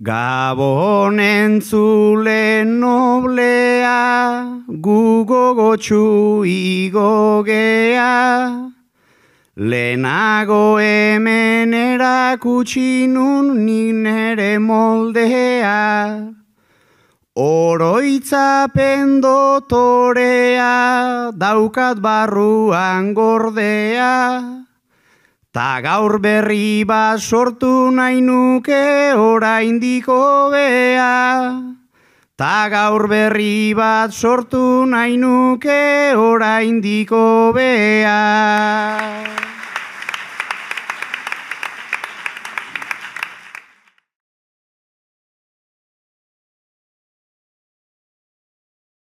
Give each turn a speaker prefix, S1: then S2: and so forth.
S1: Gabon entzule noblea, gu gogotsu igogea, lehenago hemen erakutsi nun nik nere moldea, oroitzapen dotorea, daukat barruan gordea, ta gaur berri bat sortu nahi nuke oraindik hobea. Ta gaur berri bat sortu nahi nuke oraindik hobea.